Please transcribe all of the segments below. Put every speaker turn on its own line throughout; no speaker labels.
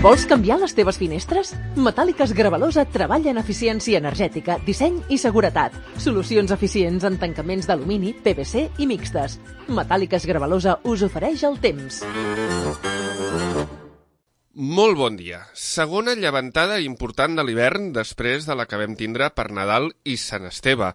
Vols canviar les teves finestres? Metàl·liques Gravalosa treballa en eficiència energètica, disseny i seguretat. Solucions eficients en tancaments d'alumini, PVC i mixtes. Metàl·liques Gravalosa us ofereix el temps.
Molt bon dia. Segona llevantada important de l'hivern després de la que vam tindre per Nadal i Sant Esteve.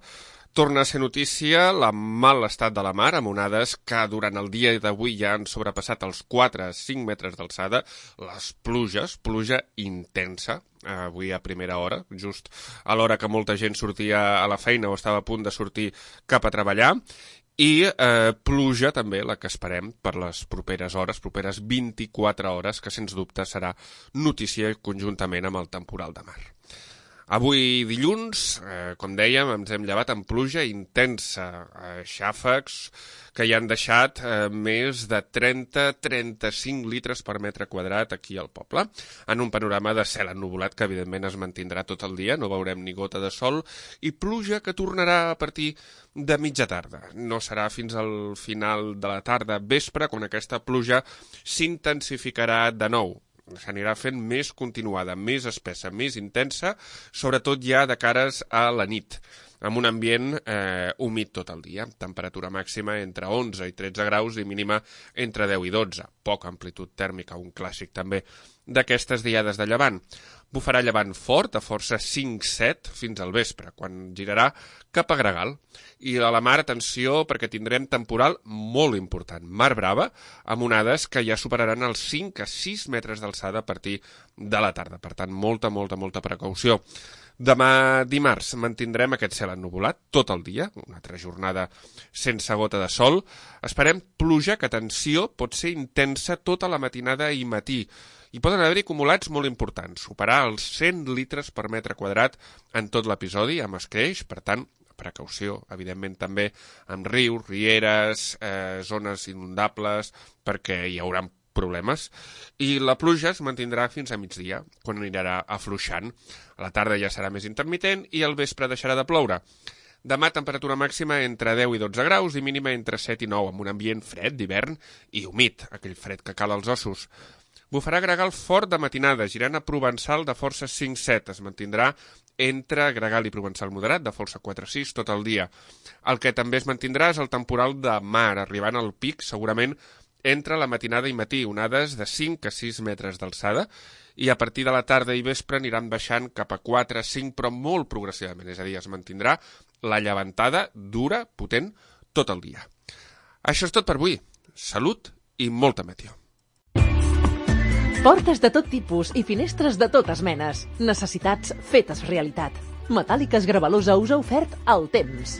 Torna a ser notícia el mal estat de la mar, amb onades que durant el dia d'avui ja han sobrepassat els 4 a 5 metres d'alçada. Les pluges, pluja intensa, avui a primera hora, just a l'hora que molta gent sortia a la feina o estava a punt de sortir cap a treballar. I pluja també la que esperem per les properes hores, properes 24 hores, que sens dubte serà notícia conjuntament amb el temporal de mar. Avui dilluns, com dèiem, ens hem llevat amb pluja intensa, xàfecs que hi han deixat més de 30-35 litres per metre quadrat aquí al poble, en un panorama de cel ennuvolat que evidentment es mantindrà tot el dia, no veurem ni gota de sol, i pluja que tornarà a partir de mitja tarda. No serà fins al final de la tarda vespre quan aquesta pluja s'intensificarà de nou. S'anirà fent més continuada, més espessa, més intensa, sobretot ja de cares a la nit, amb un ambient humit tot el dia, temperatura màxima entre 11 i 13 graus i mínima entre 10 i 12, poca amplitud tèrmica, un clàssic també d'aquestes diades de llevant. Bufarà llevant fort, a força 5-7 fins al vespre, quan girarà cap a Gregal. I a la mar, atenció, perquè tindrem temporal molt important, mar brava, amb onades que ja superaran els 5 a 6 metres d'alçada a partir de la tarda. Per tant, molta precaució. Demà dimarts mantindrem aquest cel ennuvolat tot el dia, una altra jornada sense gota de sol. Esperem pluja que, atenció, pot ser intensa tota la matinada i matí. I poden haver-hi acumulats molt importants, superar els 100 litres per metre quadrat en tot l'episodi, amb escreix, per tant, precaució, evidentment també amb rius, rieres, zones inundables, perquè hi haurà problemes, i la pluja es mantindrà fins a migdia, quan anirà afluixant. A la tarda ja serà més intermitent i al vespre deixarà de ploure. Demà temperatura màxima entre 10 i 12 graus i mínima entre 7 i 9, amb un ambient fred d'hivern i humit, aquell fred que cala als ossos. Bufarà Gregal fort de matinada, girant a Provençal de força 5-7. Es mantindrà entre Gregal i Provençal moderat, de força 4-6, tot el dia. El que també es mantindrà és el temporal de mar, arribant al pic, segurament, entre la matinada i matí, onades de 5 a 6 metres d'alçada, i a partir de la tarda i vespre aniran baixant cap a 4-5, però molt progressivament, és a dir, es mantindrà la llevantada dura, potent, tot el dia. Això és tot per avui. Salut i molta meteor.
Portes de tot tipus i finestres de totes menes. Necessitats fetes realitat. Metàl·liques Gravalosa us ha ofert el temps.